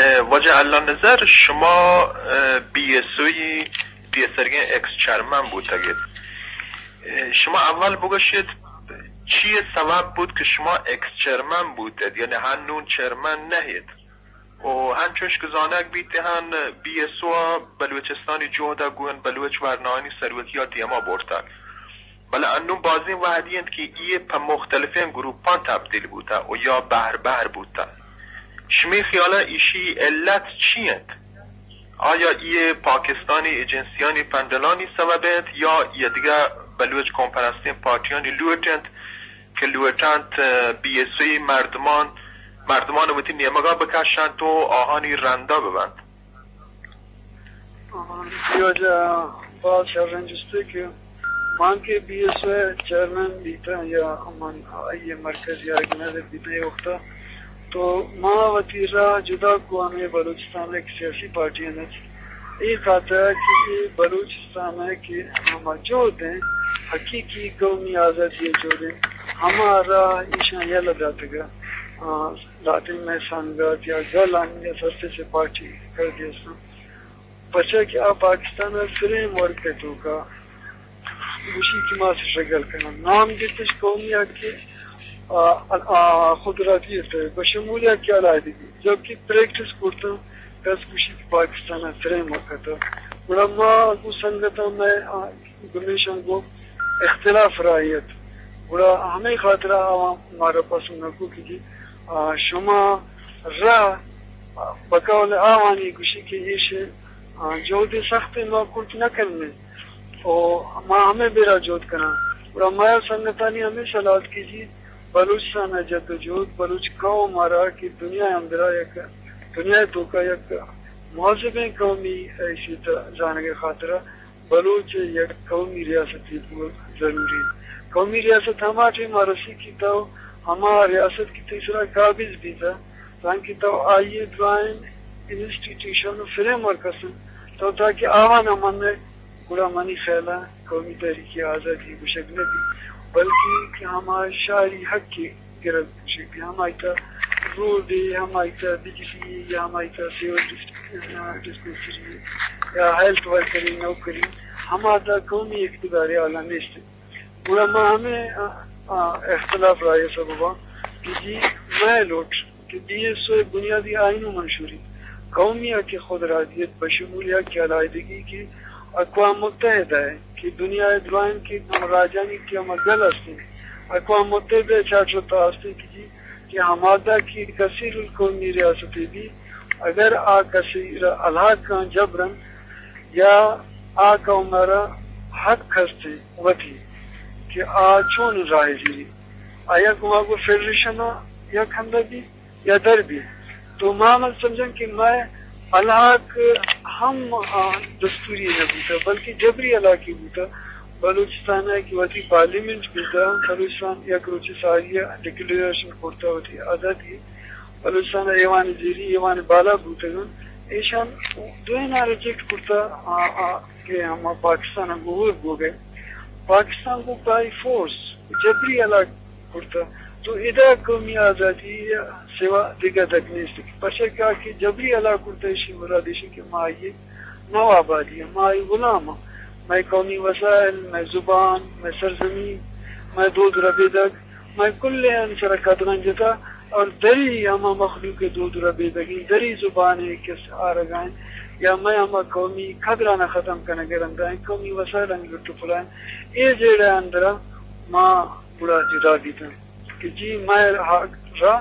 اه، واجہ اللہ نظر، شما، اه، بی ایس او ءِ پیسرگیں ایکس چیئرمین بوتگ ات۔ اه، شما اول بگوشیت، چی سبب بوت کہ شما ایکس چیئرمین بوتت، یعنی ہنون چیئرمین نہ ات؟ و ہنچوش کہ زانگ بیت ہن، بی ایس او ءَ بلوچستانی جہد ءَ گون بلوچ ورنایانی سروکی ءَ دیما برتگ۔ بلے انوں بازیں وہدی انت کہ اے پہ مختلفیں گروپاں تبدیل بوتہ و یا بہر بہر بوتہ۔ شمئے خیال ءَ ایشی علت چی انت؟ آیا اے پاکستانی ایجنسیانی پنڈلانی سبب انت یا اے دگہ بلوچ قوم پرستیں پارٹیانی لوٹ انت کہ لوٹ انت بی ایس او ءِ مردمان، مردمان وتی نیمگا بکشنت و آہانی رندا ببنت؟ آ، جی واجہ، باز شریں جستے کہ من کہ بی ایس او ءِ چیئرمین بیتاں یا من آئی ءِ مرکزی آرگنائزر بیتاں اے وقتا، تو ما وتی راہ جدا کو ہمے بلوچستان ءِ سیاسی پارٹیاں اچ۔ اے خاطر کہ اے بلوچستان ءِ کہ ہما جہد انت، حقیقی قومی آزادی ءِ جہد انت، ہما راہ ایشاں یلہ داتگ ءَ۔ آ، لہتیں مئے سنگت یا گل آنی ءَ سرپیس ءِ پارٹی کردی استاں۔ پرچا کہ آ پاکستان ءِ فریم ورک ءِ توکا گوشی کہ ما سٹرگل کناں۔ نام گپتش قومی حق ءِ، آ، آ، خودارادیت ءِ بشمول حق علیحدگی، جبکہ پریکٹس کرتاں کس گوشی کہ پاکستان ءِ فریم ورک ءِ تہا۔ گڑا ما گوں سنگتاں مئے، آ، گمیشاں گوں اختلاف رائے ات۔ گڑا ہمے خاطرا آواں مارا پسند نہ کو کہ جی، آ، شما را بقول آوانی گوشی کہ ایش، آ، جہد سخت ما کرت نہ کنیں۔ او ما ہمے بیرا جہد کناں۔ گڑا ما سنگتانی ہمے صلاح ات کہ جی، بلوچستان ءِ جد و جہد، بلوچ قوم ءَ را کہ دنیا ءِ اندرا یک دنیا ءِ توکا یک مہذبیں قومی حیثیت زانگ ءِ خاطرا بلوچ ءِ یک قومی ریاستے بوگ ضروری انت۔ قومی ریاست ہما ٹیم ءَ رسی کہ تو ہما ریاست کہ تئی سرا قابض بیتہ، تانکہ تو آئی ءِ درائیں انسٹیٹیوشن و فریم ورک است انت، تو تاکہ آوان ءَ من گڑا منی خیال ءَ قومی تحریک آزادی گوشگ نہ بیت، بلکہ کہ ہما شہری حق ءِ گرگ گوشگ بیت، ہمائی تہ روڈ ءِ، ہمائی تہ بجلی ءِ، یا ہمائی تہ سیول ڈس-، ڈسپنسری ءِ، یا ہیلتھ ورکر ءِ نوکری، ہما تہ قومی اقتدار ءِ اعلیٰ نیست۔ گڑا ما ہمے، آ، آ، اختلاف رائے ءِ سبب ءَ کہ جی مئے لوٹ کہ بی ایس او ءِ بنیادی آئین و منشوری، قومی حق خودارادیت بشمول حق علیحدگی کہ اقوام متحدہ ءِ کہ دنیا ءِ درائیں کہ ہما راجانی کہ ہما گل است انت، اقوام متحدہ ءِ چارٹر ءِ تہا است انت کہ جی کہ ہما مادہ کہ کثیر القومی ریاستے بی، اگر آ کسے را الحاق کن جبرن یا آ قوم ءَ را حق ہست انت وتی کہ آ چون راہ زیری، آیا گما گو فیڈریشن ءَ یک ہندہ بی یا در بی۔ تو ما من سمجھن کہ مئے الحاق ہم، آ، دستوری نہ بوتہ، بلکہ جبری الحاقی بوتہ۔ بلوچستان ءَ کہ وتی پارلیمنٹ بوتہ، بلوچستان یک روچے ساری ءَ ڈکلیئریشن کرتہ وتی آزادی۔ بلوچستان ءَ ایوان زیری، ایوان بالا بوتگ انت۔ ایشان دوئیناں ریجیکٹ کرتہ، آ، آ، کہ ہما پاکستان ءَ گوں ہور بوگ ءَ۔ پاکستان گوں بائی فورس جبری الحاق کرتہ۔ تو ادا قومی آزادی ءَ سوا دگہ دگ نیست۔ پرچا کہ آ کہ جبری الحاق کرتہ، ایشی مراد ایشی کہ ما آئی نواب آدی، ما آئی غلام آں۔ مئے قومی وسائل، مئے زبان، مئے سرزمین، مئے دود ربیدگ، مئے کلیں عنصر ءَ قدغن جتہ اور دری ہما مخلوق ءِ دود ربیدگیں، دری زبان ءِ کس آرگائیں یا مئے ہما قومی قدران ءَ ختم کنگ ءِ رندا ایں، قومی وسائلانی لٹ و پلائیں۔ اے جیڑہ ءِ اندرا ما گڑا جدا بیتاں کہ جی مئے حق را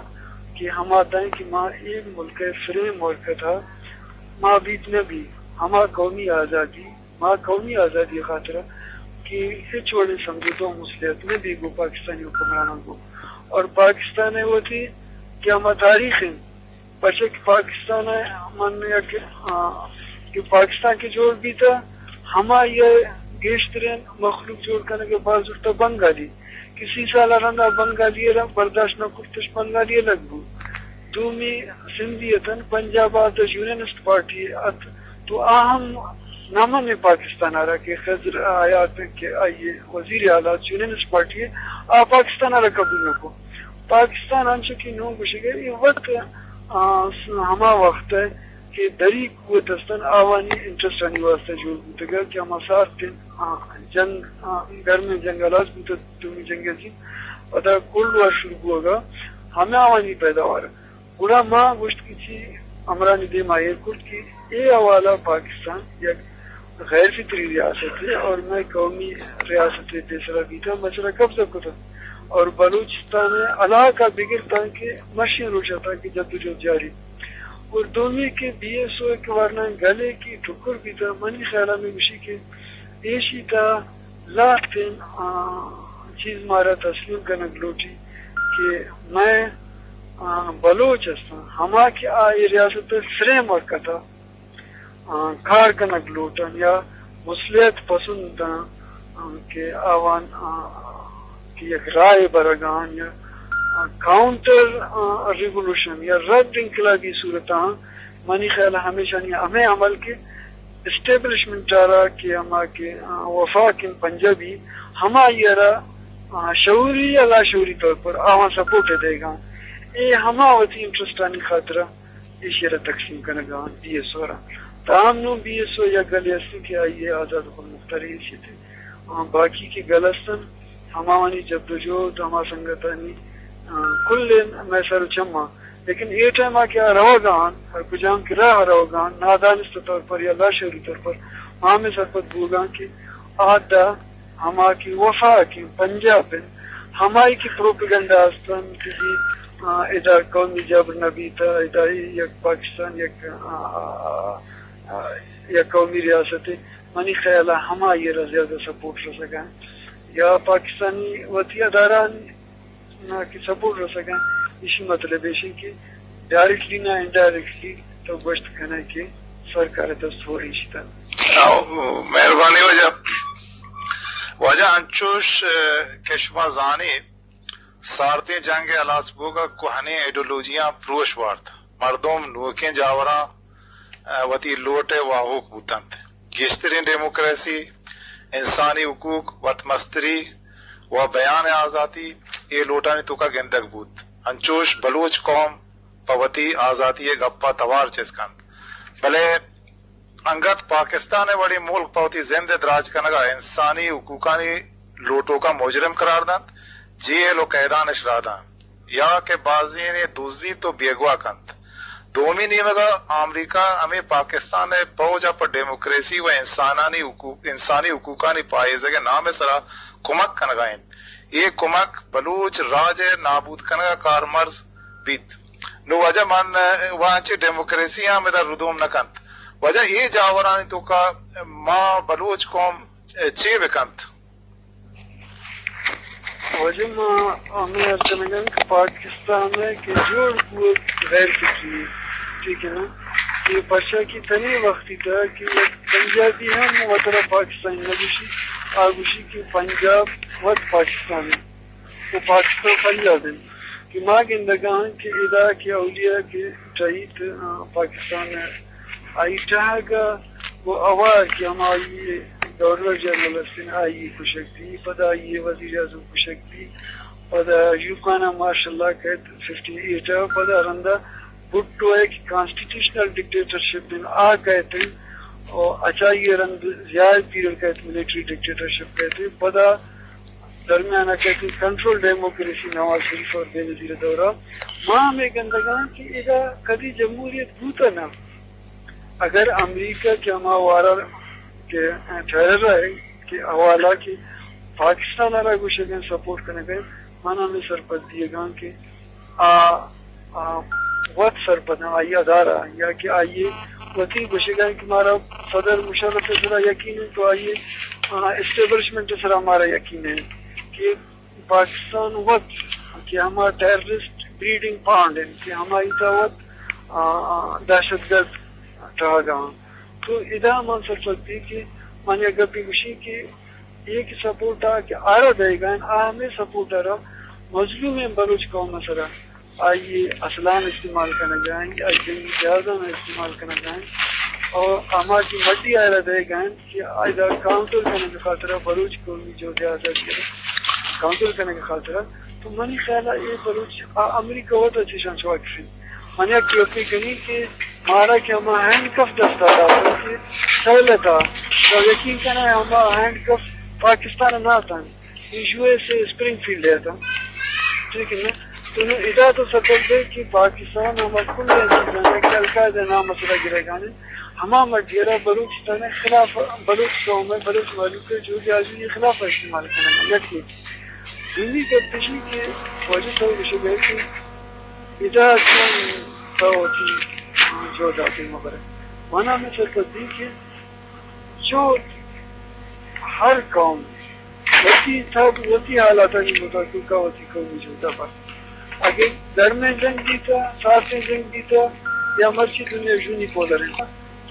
کہ ہما دائیں کہ ما اے ملک ءِ فریم ورک ءِ تہا ما بیت نہ بی، ہما قومی آزادی، ما قومی آزادی ءِ خاطرا کہ ہچ وڑیں سمجھوتہ و مصلحت نہ بی گوں پاکستانی حکمراناں گوں۔ اور پاکستان ءِ وتی کہ ہما تاریخ انت، پرچا کہ پاکستان ءَ من یک، آ، کہ پاکستان کہ جوڑ بیتہ، ہمائی ءَ گیشتریں مخلوق جوڑ کنگ ءَ باز زرتہ بنگالی۔ کہ سی سال ءَ رندا بنگالی ءَ را برداشت نہ کرتش، بنگالی الگ بو۔ دومی سندھی اتن، پنجاب ءَ آتش یونینسٹ پارٹی ات، تو آ ہم نہ من پاکستان ءَ را کہ خضر حیات کہ آئی وزیر اعلیٰ یونینسٹ پارٹی ءَ، آ پاکستان ءَ را قبول نہ کو۔ پاکستان انچو کہ نوں گوشگ ءَ اے وت آ، س-، ہما وخت ء کہ دری قوت استن، آوانی انٹرسٹ آنی واسطہ جوڑ بوتگ کہ ہما سارتیں، آ، جنگ، آ، گرمیں جنگ ہلاس بوتگ، دومی جنگ عظیم، پدا کولڈ وار شروع بوگا، ہمے آوانی پیداوار۔ گڑا ما گوشت کہ چی، امرانی دیما ایر کرت کہ اے حوالہ پاکستان یک غیر فطری ریاستے اور مئے قومی ریاستے پیسرا بیتا، مئے سرا قبضہ کتا اور بلوچستان علاقہ بگرتا کہ مشین روچا تا کہ جدوجہد جاری۔ اور دومی کہ بی ایس او کہ ورنا گلے کہ ٹکر بیتا، منی خیالا میں گوشی کہ ایشی تا لہتیں، آ، چیز مارا تسلیم کنگ لوٹی کہ مئے، آ، بلوچ استاں، ہما کہ آ اے ریاست ء فریم ورک ء تھا، آ، کار کنگ لوٹن یا مصلحت پسند آں، آ، کہ آوان، آ، کہ یک رائے برگان یا، آ، کاؤنٹر، آ، ریولوشن یا رد انقلابی صورت آں، منی خیال ء ہمیشانی ہمے عمل کہ اسٹیبلشمنٹ ء را کہ ہما کہ، آ، وفاق انت پنجابی، ہمائی ء را، آ، شعوری یا لاشعوری طور پر آواں سپورٹ ء دئیگاں۔ اے ہما وتی انٹرسٹ آنی خاطر ء ایشی ء را تقسیم کنگ ء انت بی ایس او ء را۔ تاہم نوں بی ایس او یک گلے است کہ آئی ء آزاد و خودمختار حیثیت ء، آ، باقی کہ گل است انت، ہماوانی جدوجہد، ہما سنگتانی، آ، کل مئے سر و چماں۔ لیکن اے ٹائم ء کہ آ روگ ء انت، ہر کجام کہ راہ ء روگ ء انت، نادانستہ طور پر یا لاشعوری طور پر ما ہمے سرپد بوگ ء انت کہ آ دا ہما کہ وفاق انت، پنجاب انت، ہمائی کہ پروپیگنڈا است انت کہ جی، آ، ادا قومی جبر نہ بیتا، ادا یک پاکستان یک، آ، آ، آ، یک قومی ریاست انت۔ منی خیال ء ہمائی ء را زیادہ سپورٹ رسگ ء انت یا پاکستانی وتی ادارہ نا کہ سپورٹ رسگ ء انت، ایشی مطلب ایش انت کہ ڈائریکٹلی نا انڈائریکٹلی تو گوشت کنئے کہ سرکار ء دست ہور ایشی تھا۔ او، مہربانی واجہ۔ واجہ انچوش، ء، کہ شما زانے، سارتیں جنگ ء ہلاس بوگ ء کوہنیں ایڈیالوجیاں پروش وارت۔ مردم نوکیں جاوراں، ء، وتی لوٹ ء واہوک بوتنت۔ گیشتریں ڈیموکریسی، انسانی حقوق، وت مستری و بیان ء آزاتی اے لوٹانی توکا گندگ بوت۔ انچوش بلوچ قوم پہ وتی آزاتی ء گپا توار چست کنت۔ بلے انگت پاکستان ء وڑیں ملک پہ وتی زند ء دراج کنگ ء انسانی حقوقانی لوٹوکاں مجرم قرار دنت، جیل و قیدان اش راہ دنت یا کہ بازینے دزیت و بیگواہ کنت۔ دومی نیمگ ء آمریکا ہمے پاکستان ء پوج ء پہ ڈیموکریسی و انسانانی حقوق، انسانی حقوقانی پاہیزگ ء نام ء سرا کمک کنگ ء انت۔ اے کمک بلوچ راج ء نابود کنگ ء کارمرز بیت۔ نوں واجہ من، ء، و انچیں ڈیموکریسی ہم ادا ردوم نہ کنت۔ واجہ اے جاورانی توکا ما بلوچ قوم، ء، چے بکنت؟ واجہ ما ہمے عرض کنگاں کہ پاکستان ء کہ جوڑ بوگ غیر فطری، ٹھیک ہے نا؟ کہ پرچا کہ تنی وقتی تھا کہ یک پنجابی ہم وترا پاکستانی نہ گوشی، آ گوشی کہ پنجاب وت پاکستان ہے۔ و پاکستان پنجاب انت کہ ما گندگاں کہ ادا کہ اولیاء کہ ٹہیت، آ، پاکستان ء آئی ٹہگ ء و اوار کہ ہمائی گورنر جنرل استن آئی کشگ بی، پدا آئی وزیر اعظم کشگ بی، پدا یوکانا مارشل لا کہت ففٹی ایٹ ء، پدا رندا بھٹو ء کہ کانسٹیٹیوشنل ڈکٹیٹرشپ انت آ کہت انت، و اچائی رند زیاد پیریڈ کہت ملٹری ڈکٹیٹرشپ کہت انت، پدا درمیان ء کہتے کنٹرول ڈیموکریسی نواز شریف اور بینظیر ء دورہ۔ ما ہمے گندگاں کہ ادا کدی جمہوریت بوتا نہ۔ اگر امریکہ کہ ہما وارا کہ ٹیرر ہے کہ حوالہ کہ پاکستان ء را گوشگیں سپورٹ کنگیں، من ہمے سرپد دیگاں کہ آ، آ، وت سرپداں آئی ادارہ یا کہ آئی وتی گوشگاں کہ مارا صدر مشرف سرا یقین ہے تو آئی، آ، اسٹیبلشمنٹ سرا مارا یقین ہے کہ پاکستان وت کہ ہما ٹیررسٹ بریڈنگ پانڈ ہیں کہ ہمائی تا وت، آ، آ، دہشت گرد ٹہگا۔ تو ادا من سرپد بی کہ من یک گپی گوشی کہ اے کہ سپورٹ ء کہ آرا دئیگا انت، آ ہمے سپورٹ ء را مظلومیں بلوچ قوم ء سرا آئی ء اسلحہ استعمال کنگ ء انت، آئی جنگی جہازاں استعمال کنگ ء انت، اور ہما کہ مڈی آرا دئیگا انت کہ آئی ء کاؤنٹر کنگ ء خاطر ء بلوچ قومی جہد آزادی ء کاؤنٹر کنگ ء خاطر ء۔ تو منی خیال ء اے بلوچ آ امریکہ وت ء چیشاں چہ واقف انت۔ من یک یقین کنی کہ مارا کہ ہما ہینڈ کف دستا داتن کہ سہلتا، تو یقین کنا ہما ہینڈ کف پاکستان نہ تن، یو ایس اے اسپرنگ فیلڈ ہے تن۔ ٹھیک ہے نا؟ تو نو ادا تو سبب دے کہ پاکستان ہما کل چیزاں کہ القاعدہ نام مسئلہ گرے گانے، ہما مڈیرا بلوچستان خلاف، بلوچ قوم، بلوچ مہلوک جو جاجو خلاف استعمال کرنا۔ یکی دومی گپ ایشی کہ واجہ صاحب گوشگ ء کہ ادا چون تو وتی جہد ء دیم ء برئے۔ من ہمے سرپدی کہ جہد ہر قوم وتی تب، وتی حالاتانی مطابق وتی قومی جہد ء بر۔ اگہ گرمیں جنگ بیتہ، سارتیں جنگ بیتہ، یا مرچی دنیا یونی پولر انت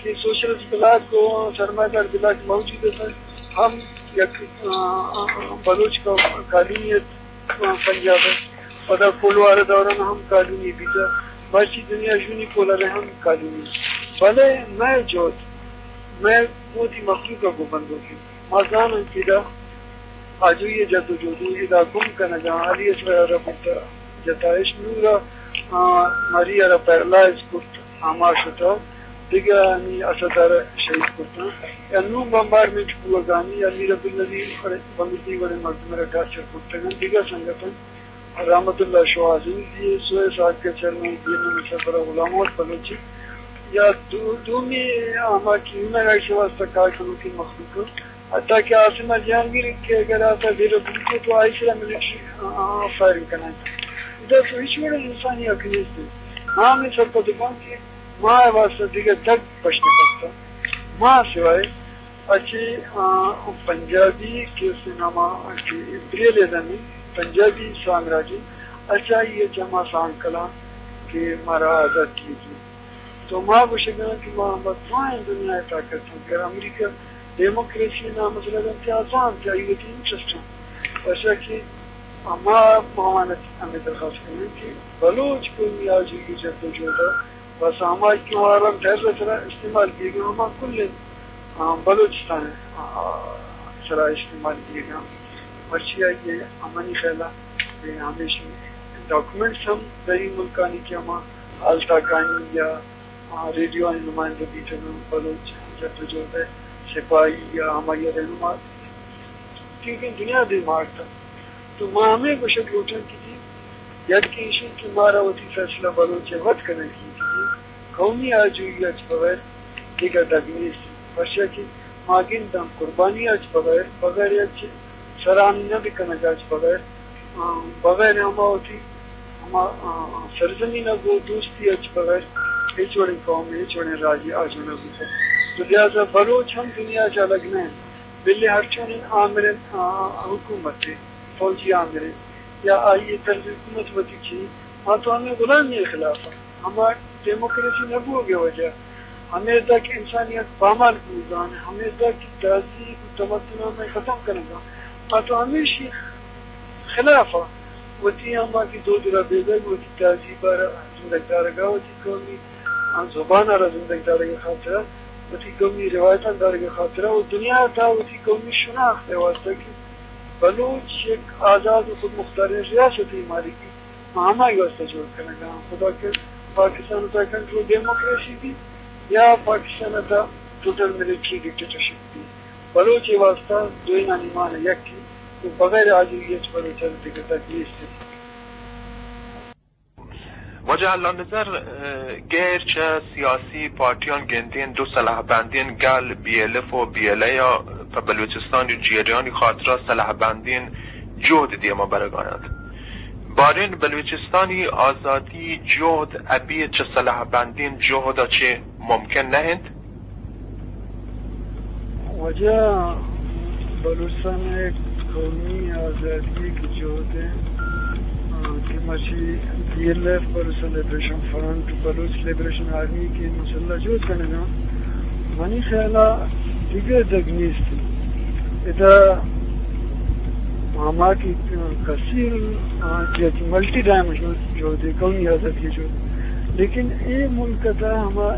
کہ سوشلسٹ بلاک و سرمایہ دار بلاک موجود انت، ہم یک، آ، آ، آ، بلوچ کا-، کالونی ات، آ، پنجاب ء۔ پدا کولوار ء دوران ہم کالونی بیتہ، مرچی دنیا یونی پولر ء ہم کالونی۔ بلے مئے جہد، مئے وتی مخلوق ء گوں بندوک انت۔ ما زاناں کہ ادا آجوئی ء جد و جہد و ادا گم کنگ ء علی اصغر ء را برتہ جتائش، نور ء، آ، مری ء را پیرلائز کرت، ہما شتہ، دگہ آنی اسد ء را شہید کرتاں، یا نوں بمبارمنٹ بوگانی یا میر عبدالنبی وڑیں، بنگلدی وڑیں مردم ء را ٹارچر کرتگ انت، دگہ سنگت انت۔ رحمت اللہ شوہاز ہندی ء سوئے ساگ ء چیئرمین بی این ایم ء سربراہ غلام محمد بلوچی یا دو-، دومی ہما کہ ہمے ایشی واسطہ کار کنوکیں مخلوق، حتیٰ کہ عاصمہ جہانگیر کہ اگر آتا ڈیرہ بوتو تو آئی سرا ملٹری، آ، آ، فائرنگ کنائینت۔ ادا تو ہچ وڑیں انسانی حق نیست۔ ما ہمے سرپد باں کہ ما واسطہ دگہ دگ پشت نہ کپتہ۔ ما سوائے اچ، آ، پنجابی کہ سینما کہ امپیریلزم انت، پنجابی سامراج انت، اچ آئی ء چہ ما سانگ کلاں کہ مارا آزاد کیت۔ تو ما گوشگاں کہ ما ہما درائیں دنیا ء طاقت انت، اگر امریکہ ڈیموکریسی ء نام ء سرا دنت آزان کہ آئی وتی انٹرسٹ انت، پرچا کہ ما، ما وانت ہمے درخواست کنیں کہ بلوچ قومی آجوئی جد و جہد ء بس ہما کہ وارن ٹیرر سرا استعمال بیگ ء ہما کل، آ، بلوچستان، آ، سرا استعمال بیگ ء۔ مرچی آئی ء ہمانی خیال ء ہمیشی ڈاکومنٹس ہم دری ملکانی کہ ہما ہالتاکانی یا، آ، ریڈیو آنی نمائندہ بیتگ انت، بلوچ جد و جہد ء سپاہی یا ہمائی ء رہنما، کیونکہ دنیا دیما آرتگ۔ تو ما ہمے گوشگ لوٹاں کہ جی، یک ایشی کہ مارا وتی فیصلہ بلوچ ء وت کنگی کہ جی، قومی آجوئی ء چہ بغیر دگہ دگ نیست، پرچا کہ ما گنداں قربانی ء چہ بغیر، بغیر یک سرانی نہ بکنگ ء چہ بغیر، آ، بغیر ہما وتی ہما، آ، سرزمین ء گوں دوستی ء چہ بغیر ہچ وڑیں قوم، ہچ وڑیں راجے آجو نہ بوتگ۔ تو لہذا بلوچ ہم دنیا ء چہ الگ نہ انت۔ بلے ہرچونیں آمریں، آ، حکومت ء، فوجی آمریں یا آئی ء طرز حکومت وتی چی، ما تو ہمے غلامی ء خلاف ء، ہما ڈیموکریسی نہ بوگ ء وجہ، ہمے تک انسانیت پامال بوگان، ہمے تک تہذیب و تمدن ہمے ختم کنگا، ما تو ہمیشی خلاف ء، وتی ہما کہ دود ربیدگ، وتی تہذیب ء را زندگ دارگا، وتی قومی آ زبان ء را زندگ دارگ ء خاطر ء، وتی قومی روایتاں دارگ ء خاطر ء و دنیا ء تہا وتی قومی شناخت ء واستہ کہ بلوچ یک آزاد و خودمختاریں ریاستے مالکی، ما ہمائی واستہ جوڑ کنگ ء آں۔ خدا کہ پاکستان ء تہا کنٹرول ڈیموکریسی بی یا پاکستان ء تہا ٹوٹل ملٹری ڈکٹیٹرشپ بی، بلوچ ء واستہ دوئینانی مان یک انت و بغیر آجوئی ء چہ بلوچ ء را دگہ دگ نیست انت۔ واجہ اللہ نظر، اه، غیر چہ سیاسی پارٹیان گندین دو سلاح بندین گل بی ایل ایف و بی ایل اے ء پہ بلوچستان جیڑیانی خاطرا سلاح بندین جہد دیما برگا انت۔ بارین بلوچستانی آزادی جہد ابی چہ سلاح بندین جہد چہ ممکن نہ انت؟ واجہ، بلوچستان ء قومی آزادی ء جہد ء، آ، کہ مرچی بی ایل ایف، بلوچستان لبریشن فرنٹ، بلوچ لبریشن آرمی کہ مسلح جہد کنگا، منی خیال ء دگہ دگ نیست۔ ادا ہما کہ کثیر، آ، جہد، ملٹی ڈائمینشنل جہد ء، قومی آزادی جہد۔ لیکن اے ملک ء تہا ہما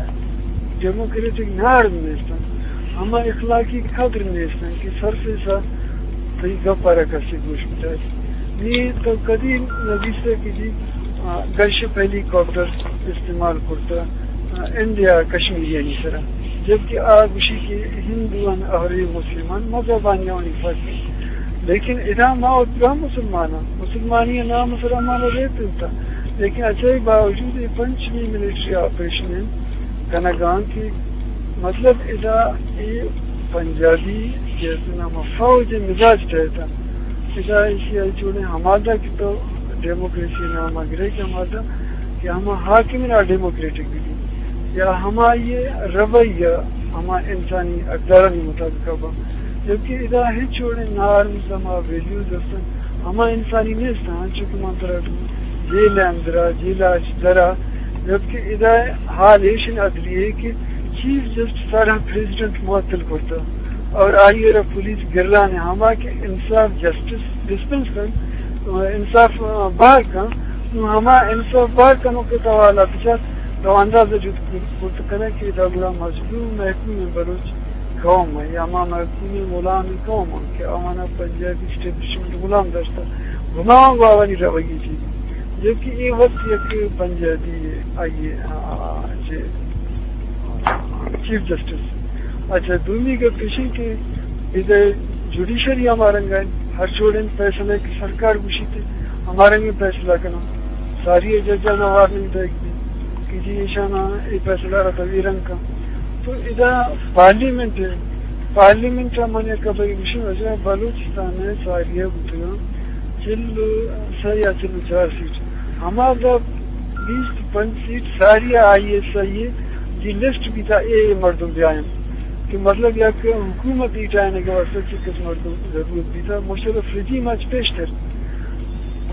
ڈیموکریٹک نارم نیست انت، ہما اخلاقی قدر نیست انت کہ سرفیس ء تئی گپ ء را کسے گوش بدات۔ نی تو کدی نہ دیستہ کہ جی، آ، گن شپ ہیلی کاپٹر استعمال کرتا، آ، انڈیا کشمیریانی سرا، جبکہ آ گوشی کہ ہندوان، اہرے مسلمان، مذہبانی آوانی فرق انت۔ لیکن ادا ما وت ہم مسلمان ہاں، مسلمانی نام سرا ما ریت انت، لیکن اچھا باوجود اے پنچمی ملٹری آپریشن انت کنگان کہ مطلب ادا اے پنجابی کہ نام فوج مزاج تحت انت۔ ادا ایشی ء چوڑیں ہمادا کہ تو ڈیموکریسی نام ء گرے کہ ہمادا کہ ہما حاکم نا ڈیموکریٹک بی یا ہما یہ رویہ ہما انسانی اقدارانی مطابق با، جبکہ ادا ہچ وڑیں نارمز ہما ویلیوز ہستن ہما انسانی نیستن، چونکہ من ترا جیل اندرا، جیل اچ درا، جبکہ ادا حال ایشن عدلیہ کہ چیف جسٹس سارا پریزیڈنٹ معطل کرتا اور آئی را پولیس گران ہے، ہما کہ انصاف، جسٹس ڈسپنس کن، انصاف بار کن، نو ہما انصاف بار کنو کہ تو حالات چا تو اندازہ جت کرت کنے کہ دا گڑا مظلوم محکوم بلوچ قوم ہے یا ما محکوم غلام قوم ہے کہ آوانا پنجابی اسٹیبلشمنٹ غلام داشتا، گناہ گواہانی روگی چیز، جبکہ اے وقت یک پنجابی آئیے، آ، چے، چیف جسٹس۔ اچھا، دومی گپ ایشی کہ ادھر جوڈیشری ہمارنگا ہے، ہر جوڑیں فیصلہ کہ سرکار گوشیتے ہمارنگے فیصلہ کنا، ساری ججانا وارننگ دیگ دی کہ جی ایشانا اے فیصلہ را تویرنگ کن۔ تو ادا پارلیمنٹ ہے، پارلیمنٹ ء من یک خبرے گوشیں، واجہ بلوچستان ء ساری ء بوتگاں چل و سہ یا چل و چار سیٹ، ہما دا بیست پنچ سیٹ ساری ء آئی ایس آئی ء جی لسٹ بیتا اے اے مردم بیائیں کہ مطلب یک حکومت ایٹائینگ ء واسطہ چہ کس مردم ضرورت بیتا، مشرف رجیم اچ پیشتر۔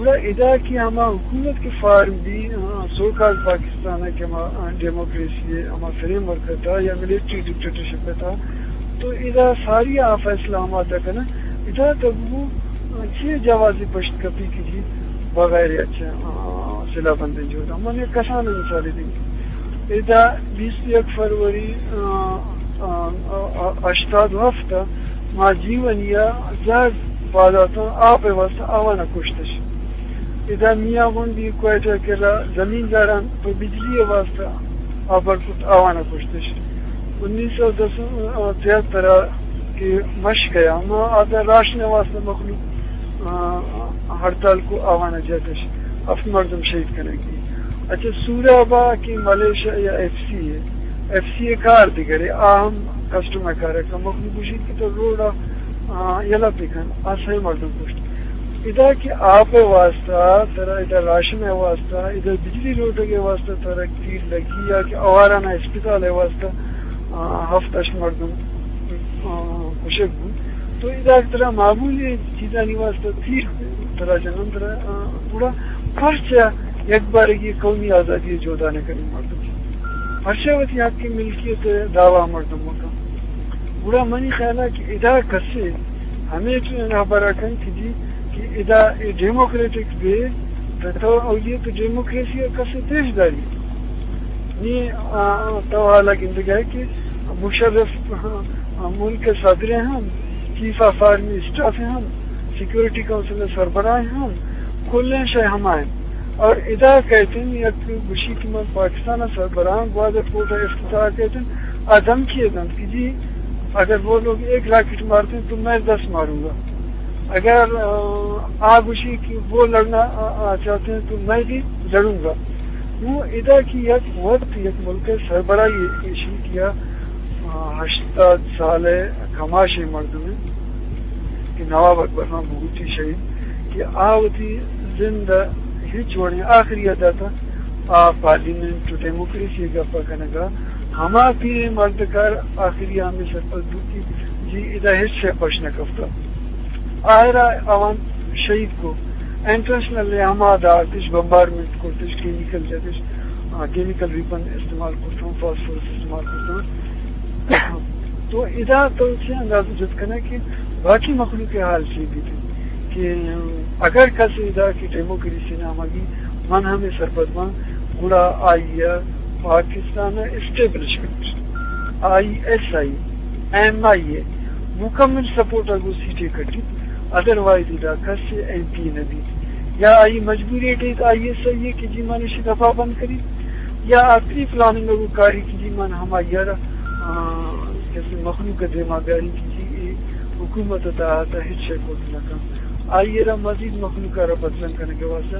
گڑا ادا کہ ہما حکومت کہ فارم بی، ہاں، سو کال پاکستان ء کہ ہما ڈیموکریسی ء ہما فریم ورک ء تھا یا ملٹری ڈکٹیٹرشپ ء تھا، تو ادا ساری آ فیصلہ ہما تھا کنا، ادا تو گو چی جوازی پشت کپی کی جی بغیر اچھا، آ، سلاح بندیں جو دا۔ من یک کسان مثال دیں۔ ادا بیست یک فروری، آ، آ، آ، آ، ہشتاد و ہفت ما جیونی ء زہر پاد اتاں، آپ ء واستہ آوان ء کشتش۔ ادا میاں گونڈی کوئٹہ کرا زمینداراں پہ بجلی ء واستہ آبر کت، آوان ء کشتش۔ انیس سو دس، آ، تہتر ء کہ مشک ء ہما آدھا راشن ء واستہ مخلوق، آ، ہڑتال کو، آوان ء جتش، ہفت مردم شہید کنگی۔ اچھا، سورابا کہ ملیشیا یا ایف سی ء، ایف سی ء کار دگرے، آ ہم کسٹم ء کار ء کن۔ مخلوق گوشیت کہ تو روڈ ء، آ، یلہ بکن، آ سئے مردم کشت۔ ادا کہ آپ ء واسطہ، ترا ادا راشن ء واسطہ، ادا بجلی لوٹگ ء واسطہ ترا تیر لگی یا کہ آواران ء اسپتال ء واسطہ، آ، ہفت ہشت مردم، آ، کشگ بوت۔ تو ادا ترا معمولی چیزانی واسطہ تیر ترا جنن ترا، آ، گڑا پرچا یک بارگی قومی آزادی ء جہد ء نہ کنیں مردم؟ پرچا وتی حق ملکیت ء دعوی مردم مکن؟ گڑا منی خیال ء کہ ادا کسے ہمے ہبر ء کن کہ جی کہ ادا اے ڈیموکریٹک بے، تو اولیت ڈیموکریسی ء کسے پیش داری؟ نی، آ، تو حالا گندگ ء کہ مشرف، آ، ملک ء صدر ء ہم، چیف آف آرمی اسٹاف ء ہم، سیکورٹی کونسل ء سربراہ ء ہم، کلیں شے ہما انت۔ اور ادا کہتن یک گوشی کہ من پاکستان ء سربراہ گوادر پورٹ ء افتتاح کہتن، آ دھمکی ء دنت کہ جی اگر وہ لوگ ایک راکٹ مارتے ہیں تو میں دس ماروں گا۔ اگر، آ، آ گوشی کہ وہ لڑنا، آ، آ، چاہتے ہیں تو میں بھی لڑوں گا۔ نوں ادا کہ یک وت یک ملک ء سربراہی ایشی کہ آ، آ، ہشتاد سال ء کماشیں مردمے کہ نواب اکبر خان بگٹی شہید کہ آ وتی زند ء ہچ وڑیں آخری ء داتا، آ پارلیمنٹ و ڈیموکریسی ء گپ ء کنگ ء ہما پیریں مردکار آخری ء ہمے سرپد بوت کہ جی ادا ہچ شے پش نہ کپتہ۔ آخر ء آوان شہید کو، انٹرنیشنل ء ہما دارتش، بمبارمنٹ کرتش، کیمیکل جتش، آ، کیمیکل ویپن استعمال کرتوں، فاسفورس استعمال کرتوں۔ تو ادا تو چے انداز جت کنے کہ باقی مخلوق ء حال چی بیت کہ اگر کس ادا کہ ڈیموکریسی نامگی من ہمے سرپد باں، گڑا آئی ء پاکستان ء اسٹیبلشمنٹ، آئی ایس آئی، ایم آئی اے مکمل سپورٹ ء گوں سیٹے کٹیت، ادروائز ادا کس ایم پی نہ بیت یا آئی مجبوری ٹیت آئی ایس آئی ء کہ جی من اشی دفاع بند کریت۔ یا آ پری پلاننگ ءَ گوں کاری کہ جی من ہمائی ءَ را، آ، کسے مخلوق ءِ دیما بیاریں کہ جی اے حکومت ءِ تحت ءَ ہچ شے کت نہ کن۔ آئی ءَ را مزید مخلوق ءَ را بدرنگ کنگ ءِ واسطہ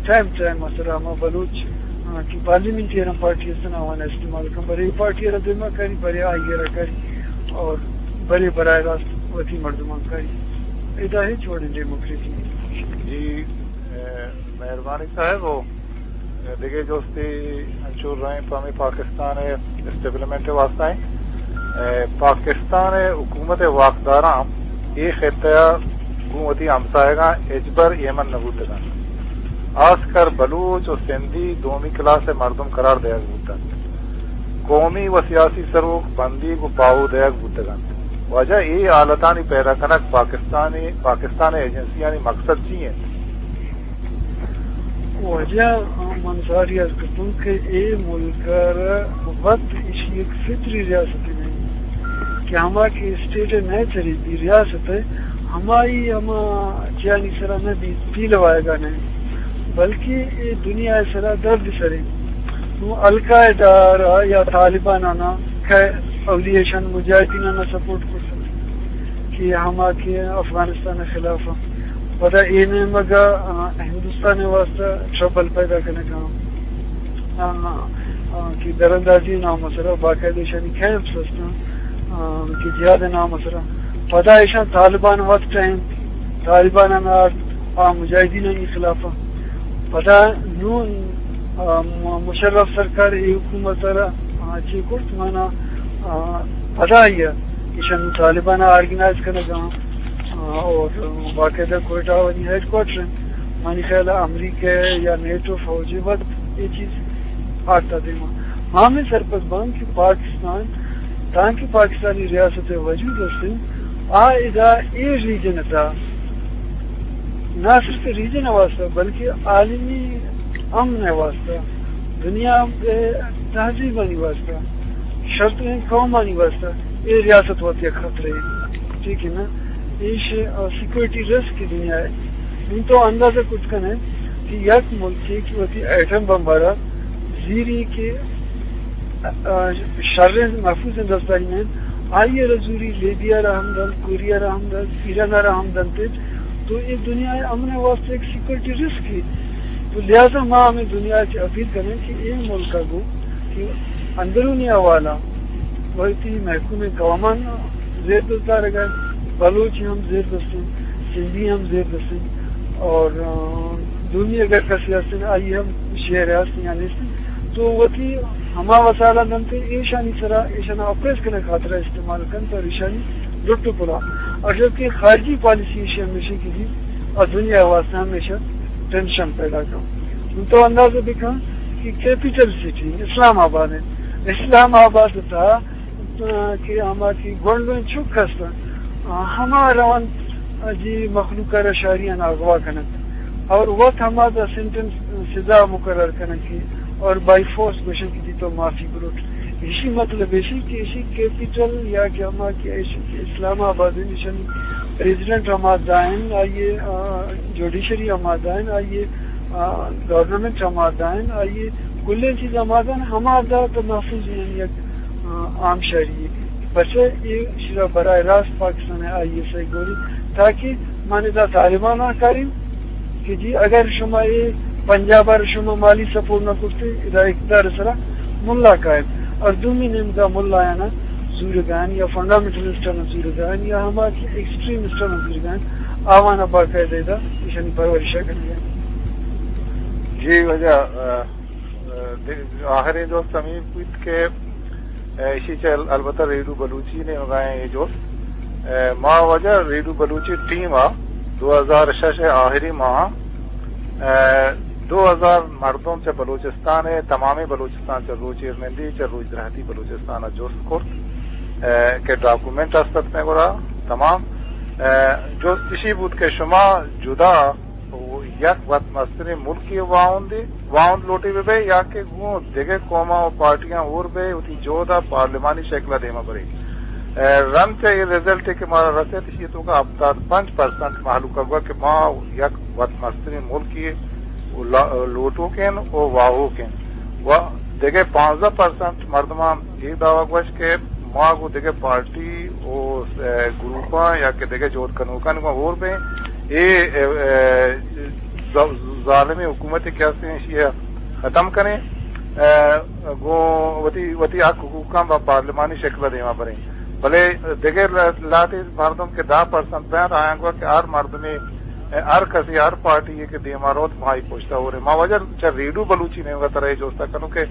ٹائم ٹائم ءِ سرا ہما بلوچ، آ، کہ پارلیمنٹیرن پارٹی استن آوان استعمال کن، برے اے پارٹی ءَ را دیما کاری، برے آئی ءَ را کاری اور برے براہ راست وتی مردمان کاری۔ ادا ہچ وڑیں ڈیموکریسی نہیں۔ جی، اے، مہربانی صاحب، و دگہ جستے انچو رہیں پہ ہمیں پاکستان ءِ اسٹیبلشمنٹ ءِ واسطہ ایں۔ اے، پاکستان ءِ حکومت ءِ واکداراں اے خطہ ءَ گوں وتی ہمساہگاں ہچبر ایمن نہ بوتگ انت۔ آسکر بلوچ و سندھی دومی کلاس ءِ مردم قرار دئیگ بوت انت۔ قومی و سیاسی سروک بندیگ و پاہو دئیگ بوتگ انت۔ واجہ، اے حالتانی پیدا کنگ پاکستانی، پاکستان ءِ ایجنسیانی مقصد چی انت؟ واجہ، من ساری عرض کرتوں کہ اے ملک ءَ را وت ایشی یک فطری ریاست نہیں کہ ہما کہ اسٹیٹ ءِ نیچر بی ریاست ءِ، ہمائی ہما چیانی سرا نہ بیت، پیلوائگا نہیں، بلکہ اے دنیا ءِ سرا درد سرے۔ نوں القاعدہ را یا طالبان آنا کہ اولی ایشان مجاہدین آنا سپورٹ کرتا کہ ہما کہ افغانستان ءِ خلاف ءَ۔ پدا اے نیمگ ءَ، آ، ہندوستان ءِ واسطہ ٹربل پیدا کنگ ءَ، آ، آ، کہ دراندازی نام ءِ سرا باقاعدہ ایشانی کیمپس ہستاں، آ، کہ جہاد نام ءِ سرا۔ پدا ایشان طالبان وت ٹائم، طالبان ءَ نار آ مجاہدینانی خلاف ءَ۔ پدا نوں، آ، م-، مشرف سرکار اے حکومت ءَ را، آ، چے کرت مانا، آ، پدا آئی ءَ ایشان طالبان ءَ آرگنائز کنگ ءَ، آ، اور باقاعدہ کوئٹہ ءَ وتی ہیڈ کوارٹر انت۔ منی خیال ءَ امریکہ یا نیٹو فوج ءِ وت اے چیز آرتا دیما۔ ما ہمیں سرپد باں کہ پاکستان، تانکہ پاکستانی ریاست ءِ وجود است انت، آ ادا اے ریجن ءِ تہا نہ صرف ریجن ءِ واسطہ بلکہ عالمی امن ءِ واسطہ، دنیا ءِ تہذیبانی واسطہ، شرتریں قومانی واسطہ اے ریاست وت یک خطرہ ہے۔ ٹھیک ہے نا؟ ایش، آ، سیکورٹی رسک دنیا ءِ۔ نوں تو اندازہ کت کن ئے کہ یک ملکے کہ وتی ایٹم بم ءَ را زیری کہ، آ، شریں محفوظیں دستانی میں آئی ءَ را زوری، لیبیا ءَ را ہم دنت، کوریا ءَ را ہم دنت، ایران ءَ را ہم دنت، تو اے دنیا ءِ امن ءِ واسطہ یک سیکورٹی رسک ہے۔ تو لہذا ما ہمیں دنیا ءَ چہ اپیل کنیں کہ اے ملک ءَ گوں کہ اندرونی حوالہ وتی محکوم قومان زیر دست دارگ ءَ، بلوچ ہم زیر دست انت، سندھی ہم زیر دست انت، اور، آ، دومی اگر کسی ہستن، آئی ہم شہر ہست یا نیست، تو وتی ہما وسائل دنت، ایشانی سرا، ایشان اپریس کنگ خاطر استعمال کنت اور ایشانی لٹ و پلا۔ اور جبکہ خارجی پالیسی ایشی ہمیشہ کی جی اور دنیا واسطہ ہمیشہ ٹینشن پیدا کن۔ تو اندازہ بکن کہ کیپیٹل سٹی اسلام آباد ہے، اسلام آباد تھا کہ ہما کہ گونڈویں چک ہست، ہما روان جی مخلوق ءَ را شہریان اغوا کنت اور وت ہما دا سینٹنس سزا مقرر کنت کہ اور بائی فورس گوشن کہ جی تو معافی بروٹ۔ ایشی مطلب ایشی کہ ایشی کیپیٹل یا کہ ہما کہ ایشی کہ اسلام آباد ہیں، ایشانی پریزیڈنٹ ہما دائن، آئیے، آ، جوڈیشری ہما دائن، آئیے، آ، گورنمنٹ ہما دائن، آئیے، کلیں چیز ہما دائن، ہما دا تو محفوظ ہیں یک آ، عام شہری۔ پرچہ اے شرا براہ راست پاکستان ءِ آئی ایس آئی گوری، تاکہ من ادا طالبان ءَ کاریں کہ جی اگر شما اے پنجاب ءَ شما مالی سپورٹ نہ کرتے، ادا اقتدار سرا ملا قائم۔ اور دومی نیمگا ملا آنا زورگان یا فنڈامنٹلسٹ آنا زورگان یا ہما کہ ایکسٹریمسٹ آنا زورگان، آوانا باقاعدہ ادا ایشانی پرورشہ کنگا۔ جی واجہ، آ، آخریں جست ہمے بیت کہ، اے، ایشی چہ ال-، البتہ ریڈیو بلوچی نیمگا ایں اے جست۔ اے، ما واجہ ریڈیو بلوچی ٹیم ءَ دو ہزار شش ءِ آخری ماہ ءَ، اے، دو ہزار مردم چہ بلوچستان ءِ، تمامیں بلوچستان، چہ روچ ایرنندی، چہ روچ درہتی بلوچستان ءَ جست کرت، اے، کہ ڈاکومنٹ است ات مئے گورا تمام۔ اے، جست ایشی بوت کہ شما جدا و یک وت مستریں ملکے واہندے، واہند لوٹے بہ بئے یا کہ گوں دگہ قوماں و پارٹیاں ہور بئے وتی جہد ءَ پارلیمانی شکل ءَ دیما برے۔ اے، رند چہ اے رزلٹ کہ مارا رسیت، ایشی توکا ہپتاد پنچ پرسنٹ مہلوک ءَ گوا کہ ما یک وت مستریں ملکے و لا-، لوٹوکیں و واہوکیں و دگہ پانزدہ پرسنٹ مردماں اے دعویٰ گوشت کہ ما گوں دگہ پارٹی و، اے، گروپاں یا کہ دگہ جہد کنوکانی گوں ہور بیں، اے، اے، اے، ظ-، ظالمیں حکومتے کہ ہستیں، ایشی ءَ ختم کنیں، اے، گوں وتی، وتی حق حقوقاں با پارلیمانی شکل ءَ دیما بریں۔ بلے دگہ ل-، لہتے مردم کہ دہ پرسنٹ بنت، آیاں گوشت کہ ہر مردمے، ہر کسے، ہر پارٹی یے کہ دیما روت، ما آئی پشتا ہوریں۔ ما واجہ چہ ریڈیو بلوچی نیمگا ترا اے جستا کنوں کہ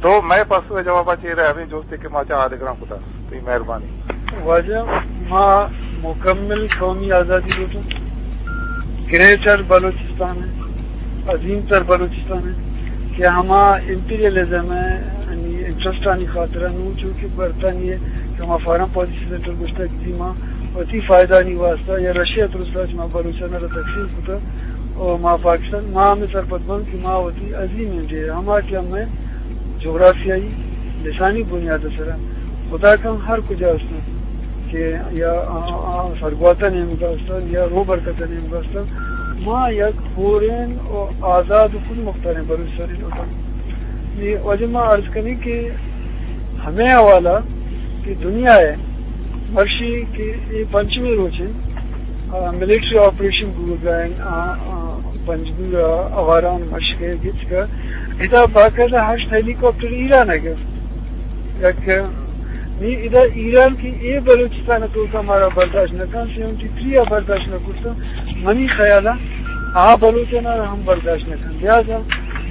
تو مئے پسو ءِ جوابا چے دئے، ہمے جستے کہ ما چہ آدگراں کتا۔ تئی مہربانی۔ واجہ، ما مکمل قومی آزادی لوٹوں، گریٹر بلوچستان ءِ، عظیم تر بلوچستان ءِ، کہ ہما امپیریلزم ءِ، یعنی انٹرسٹانی خاطرا نوں چو کہ برطانیہ کہ ہما فارن پالیسی سینٹر گوشتگ کہ ما وتی فائدہانی واسطہ یا رشیا ترسا چہ ما بلوچانا را تقسیم کتا و ما پاکستان، ما ہمے سرپد بن کہ ما وتی عظیم انڈیا، ہما کہ ہمے جغرافیائی لسانی بنیاد سرا خدا کن ہر کجا ہستن کہ یا آ، آ، سرگوات نیمگا ہستن یا روبرکت نیمگا ہستن، ما یک ہورین و آزاد و خود مختارین بلوچستانی لوٹن۔ نی واجہ ما عرض کنی کہ ہمے حوالہ کہ دنیا ءِ مرشی کہ اے پنچمی روچ انت، آ، ملٹری آپریشن بوگا انت، آ، آ، پنجگور ءَ آواران مشکے گچکا، ادا باقاعدہ ہشت ہیلی کاپٹر ایران ءَ گپت۔ یک نی ادا ایران کہ اے بلوچستان ءِ توکا مارا برداشت نہ کن، سیونٹی تھری ءَ برداشت نہ کرتا، منی خیالا آ بلوچانا ہم برداشت نہ کن۔ لہذا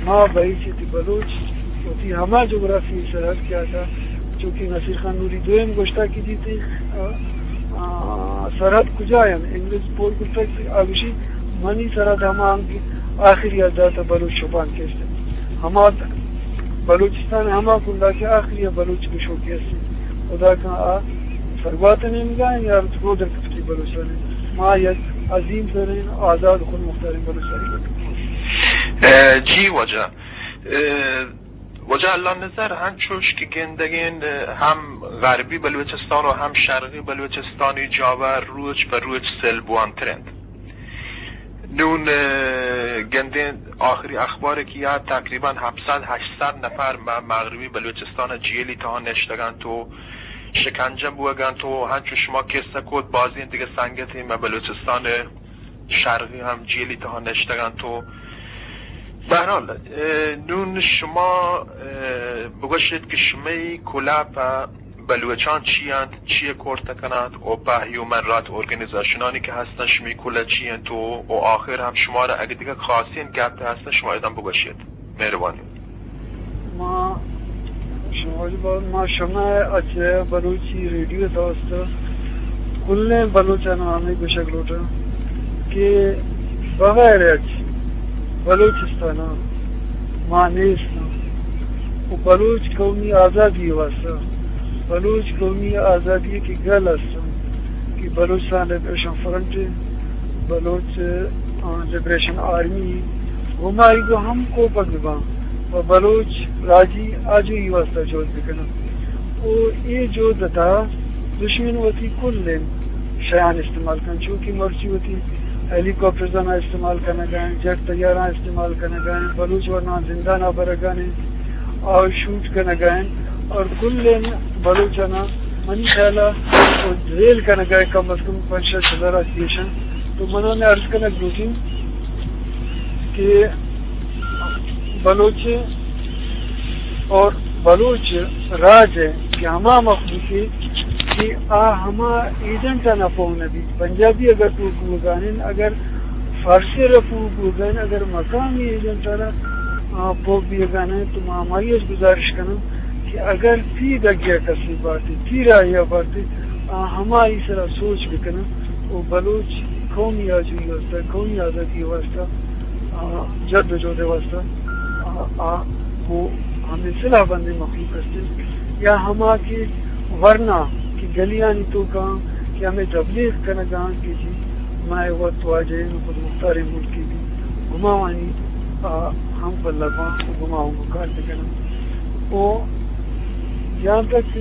ما بھئی چہ تی بلوچ وتی ہما جغرافی سرحد کہ آتا، چونکہ نصیر خان نوری دوئم گوشتا کہ جی تی، آ، آ، سرحد کجا انت؟ انگریز پول گوشتا کہ آ گوشی، منی سرحد ہما انت کہ آخری حد داتا بلوچ شپان کیست۔ ہما بلوچستان ہما کنڈا کہ آخری بلوچ گشوکی است۔ خدا کن آ سرگوات نیمگا یا رودر کپتی بلوچستان۔ ما یک عظیم ترین آزاد خود مختارین بلوچستانی۔ اے، جی واجہ۔ اے، واجہ اللہ نظر، ہنچوش کہ گندگین، ہم غربی بلوچستان و ہم شرقی بلوچستانی جاور روچ پہ روچ سیل بوانتر انت۔ نون، اے، گندین آخری اخبار کہ یا تقریباً ہپت صد ہشت صد نفر مہ مغربی بلوچستان جیلی تہا نشتگنت و شکنجہ بوگنت و ہنچو شما قصہ کت، بازین دیگہ سنگتی مہ بلوچستان شرقی ہم جیلی تہا نشتگنت و بہرحال، اے، نون شما، اے، بگوشیت کہ شمئی کلہ پہ بلوچان چی انت، چی کورت کننت و پہ ہیومن رائٹ ارگنیزیشنانی کہ ہستن شمی کلہ چی انت و، و آخر ہم شما را اگہ دیگہ خاصین گپ ہستن شما ادم بگوشیت۔ مہربانی۔ ما شما، ما شما اچ بلوچی ریڈیو دوست کلیں بلوچان ہمیں گوشگ لوٹاں کہ بغیر اچ بلوچستان ما نیست و بلوچ قومی آزادی واسطہ، بلوچ قومی آزادی کہ گل است کہ بلوچستان لبریشن فرنٹ، بلوچ، آ، لبریشن آرمی، ہمائی گو ہم کوپگ بباں و بلوچ راجی آجوئی واسطہ جہد بکناں۔ و اے جہد تہا دشمن وتی کلیں شیان استعمال کن، چونکہ مرچی وتی ہیلی کاپٹرزانا استعمال کنگا انت، جیٹ طیاراں استعمال کنگا انت، بلوچ ورناں زندانا برگا انت، آ شوٹ کنگا انت اور کلیں بلوچانا منی خیالا زیل کنگا انت، کم از کم پنچ شش ہزار آ کیش انت۔ تو من ہمے عرض کنگ لوٹیں کہ بلوچ اور بلوچ راج ءِ کہ ہما مخلوقے کہ آ ہما ایجنٹانا پوہ نہ بیت۔ پنجابی اگر پوہ بوگا انت، اگر فارسی را پوہ بوگا انت، اگر مقامی ایجنٹانا، آ، پوہ بیگا انت، تو ما ہمائی اچ گزارش کناں کہ اگر تی دگیا کسے بارتے، تی راہیا بارتے، آ ہمائی سرا سوچ بکناں و بلوچ قومی آجوئی واسطہ، قومی آزادی واسطہ، آ، جد و جہد واسطہ، آ، آ، گوں ہمے سلاہ بندیں مخلوق است انت یا ہما کہ ورنا کہ گلیانی توکا کہ ہمے تبلیغ کنگا انت کہ جی مئے وت واجہ انت، خود مختاریں ملکے بی، ہماوانی، آ، ہم پلہ باں و ہماوان گوں کار بکناں۔ و جہاں تک،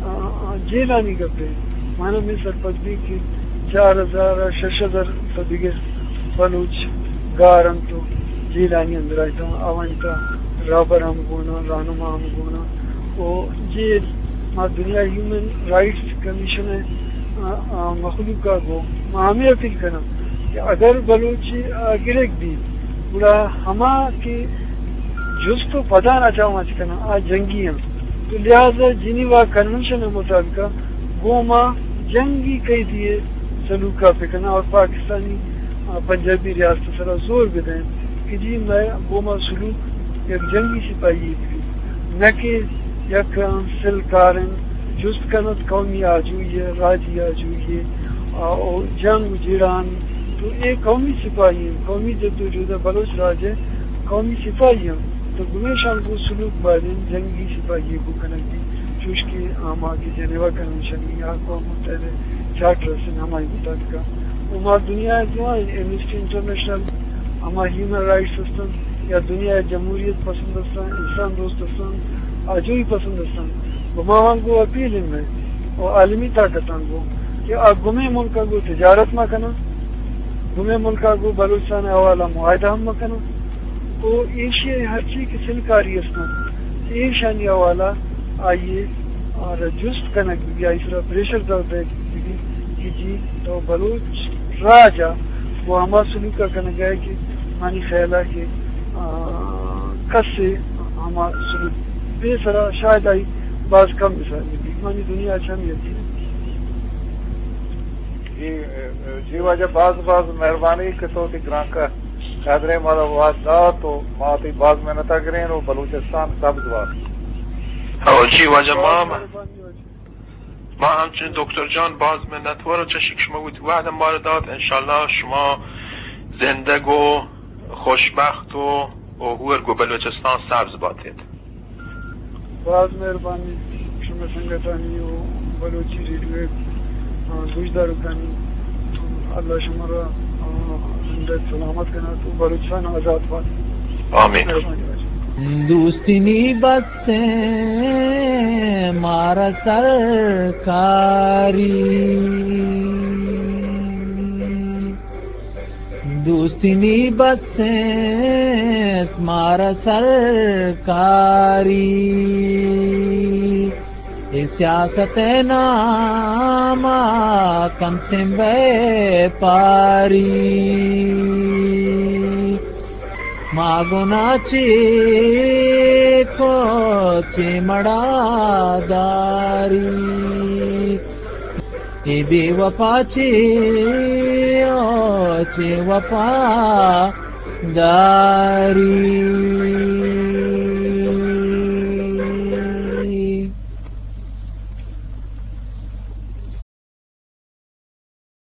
آ، آ، جیلانی گپ انت، من ہمے سرپد بی کہ چار ہزار، شش ہزار تا دگہ بلوچ گار انت و جیلانی اندرا انت، آوانی تا رہبر ہم گون اَں، رہنما ہم گون اَں۔ و جی ما دنیا ہیومن رائٹس کمیشن ءِ، آ، آ، مخلوق ءَ گوں ما ہمے اپیل کناں کہ اگر بلوچی ءَ گرگ بیت، گڑا ہما کہ جست و پداں ءَ چہ آواں چہ کناں، آ جنگی اَں۔ تو لہذا جنیوا کنونشن ءِ مطابق ءَ گوں ما جنگی قیدی ءِ سلوک ءَ بکناں اور پاکستانی، آ، پنجابی ریاست ءِ سرا زور بدئیں کہ جی مئے گوں ما سلوک یک جنگی سپاہی ءِ بہ بیت، نہ کہ یک سلکاریں جست کنت قومی آجوئی ءِ، راجی آجوئی ءِ، آ، او جنگ و جیڑان۔ تو اے قومی سپاہی اَں، قومی جدوجہد ءِ، بلوچ راج ءِ قومی سپاہی اَں۔ تو گمیشاں گوں سلوک باید اِنت جنگی سپاہی ءِ گوں کنگ بیت، چوش کہ آ ما کہ جنیوا کنونشن یا اقوام متحدہ ءِ چارٹر است اَں، ہمائی مطابق ءَ۔ و ما دنیا ءَ دیوان ایمنسٹی انٹرنیشنل، ہما ہیومن رائٹس است اَں یا دنیا ءِ جمہوریت پسند است اَں، انسان دوست است اَں، آجوئی پسند است اَں، گوں ما آواں گوں اپیل اِنت مئے و عالمی طاقتاں گوں کہ آ گمے ملک ءَ گوں تجارت مہ کناں، گمے ملک ءَ گوں بلوچستان ءِ حوالہ معاہدہ ہم مہ کناں۔ و ایشی ءِ ہرچی کہ سلکاری است اَں، ایشانی حوالہ آئی ءَ آ را جست کنگ بہ بیت، آئی سرا پریشر زور دئیگ بہ بیت کہ جی تو بلوچ راج ءَ گوں ہما سلوک ءَ کنگ ءَ ئے کہ منی خیال ءَ کہ، آ، کسے ہما سلوک بے سرا شاید آئی باز کم مثال بہ بیت۔ منی دنیا ءَ چہ ہمے یقین اِنت۔ جی، جی واجہ، باز باز مہربانی کہ تو وتی گرانکہ قدریں مارا وہد دات و ما تئی باز منت ءَ گریں و بلوچستان سبز بات۔ او جی واجہ، ما باز مہربانی واجہ۔ ما ہمچنین دکتر جان باز منتوار و چشی کہ شما وتی وہد مارا دات۔ انشاءاللہ شما زندگ و خوشبخت و، و ہور گوں بلوچستان سبز باتیت۔ باز مہربانی شمئے سنگتانی و بلوچی ریڈیو ءِ، آ، گوشداروکانی۔ اللہ شمارا، آ، زندگ سلامت کنات و بلوچستان آزاد بات۔ آمین۔ مہربانی واجہ۔ دوستی نی بس ایں مارا سرکاری، دوستی نی بس ایں مارا سرکاری، اے سیاست ءِ نام ءَ کنتیں بیپاری۔ ما گناہ چے کو چے مڑا داری، اے بے وفا چے او چے وفا داری۔